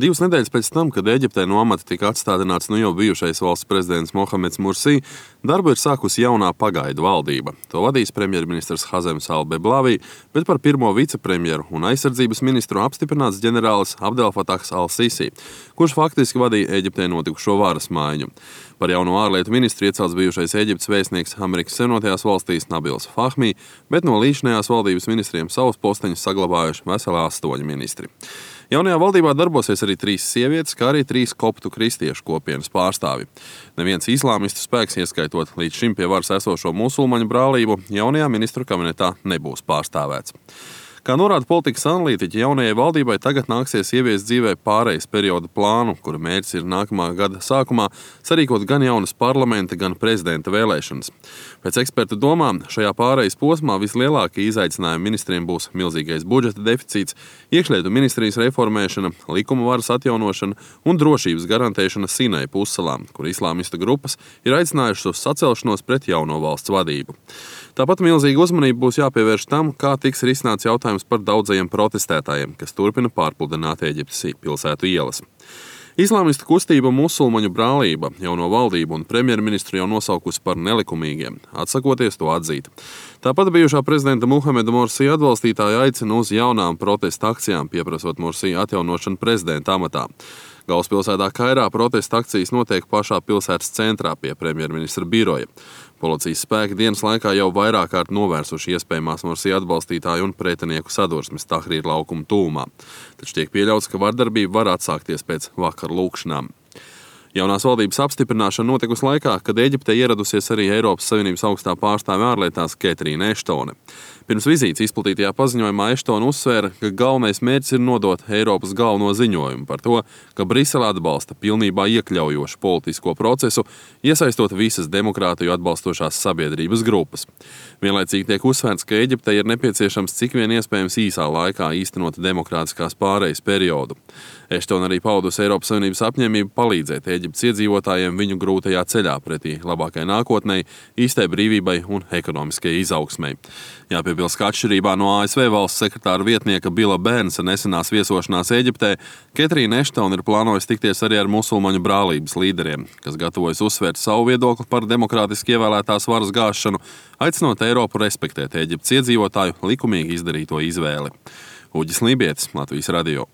2 nedēļas pēc tam, kad Ēģiptē no amata tika atstādināts jau bijušais valsts prezidents Mohameds Mursī, darbu ir sākusi jaunā pagaidu valdība. To vadīs premjerministrs Hazems al-Beblavī, bet par pirmo vicepremjeru un aizsardzības ministru apstiprināts ģenerālis Abdel Fatahs al-Sisi, kurš faktiski vadīja Ēģiptē notikušo varas maiņu. Par jauno ārlietu ministru iecelts bijušais Ēģiptes vēstnieks Amerikas Savienotajās valstīs Nabils Fahmī, bet no līdzinājās valdības ministriem savus posteņus saglabājuši veseli 8 ministri. Jaunajā valdībā darbosies arī 3 sievietes, kā arī 3 koptu kristiešu kopienas pārstāvi. Neviens islāmistu spēks, ieskaitot līdz šim pie varas esošo musulmaņu brālību, jaunajā ministru kabinetā nebūs pārstāvēts. Kā norāda politikas analītiķi, jaunajai valdībai tagad nāksies ieviest dzīvē pārejas perioda plānu, kura mērķis ir nākamā gada sākumā sarīkot gan jaunas parlamenta, gan prezidenta vēlēšanas. Pēc ekspertu domām, šajā pārejas posmā vislielākie izaicinājumi ministriem būs milzīgais budžeta deficīts, iekšlietu ministrijas reformēšana, likuma varas atjaunošana un drošības garantēšana Sinai pussalām, kur islāmistu grupas ir aicinājušas uz sacelšanos pret jauno valsts vadību. Tāpat milzīga uzmanība būs jāpievērš tam, kā tiks risināts jautājums par daudzajiem protestētājiem, kas turpina pārpludināt Ēģiptes pilsētu ielas. Islāmistu kustība Musulmaņu brālība jauno valdību un premjerministru jau nosaukusi par nelikumīgiem, atsakoties to atzīt. Tāpat bijušā prezidenta Mohameda Mursī atbalstītāji aicina uz jaunām protesta akcijām, pieprasot Mursī atjaunošanu prezidenta amatā. Galvaspilsētā Kairā protesta akcijas notiek pašā pilsētas centrā pie premjerministra biroja. Policijas spēki dienas laikā jau vairāk kārt novērsuši iespējamās Mursī atbalstītāju un pretinieku sadursmes Tahrīra laukuma tūmā. Taču tiek pieļauts, ka vardarbība var atsākties pēc vakar lūkšanām. Jaunās valdības apstiprināšana notikusi laikā, kad Ēģiptē ieradusies arī Eiropas Savienības augstā pārstāve ārlietās Ketrīna Eštone. Pirms vizītes izplatītajā paziņojumā Eštone uzsvēra, ka galvenais mērķis ir nodot Eiropas galveno ziņojumu par to, ka Brisele atbalsta pilnībā iekļaujošu politisko procesu, iesaistot visas demokrātiju atbalstošās sabiedrības grupas. Vienlaicīgi tiek uzsvērts, ka Ēģiptei ir nepieciešams cik vien iespējams īsā laikā īstenot demokrātiskās pārejas periodu. Eštone arī paudusi Eiropas Savienības apņēmību palīdzēt Ēģiptes iedzīvotājiem viņu grūtajā ceļā pretī labākai nākotnei, īstai brīvībai un ekonomiskajai izaugsmei. Jāpiebilst, ka atšķirībā no ASV valsts sekretāra vietnieka Bila Bērnsa nesenās viesošanās Ēģiptē, Ketrīna Eštone ir plānojusi tikties arī ar musulmaņu brālības līderiem, kas gatavojas uzsvērt savu viedokli par demokrātiski ievēlētās varas gāšanu, aicinot Eiropu respektēt Ēģiptes iedzīvotāju likumīgi izdarīto izvēli. Uģis Lībietis, Latvijas radio.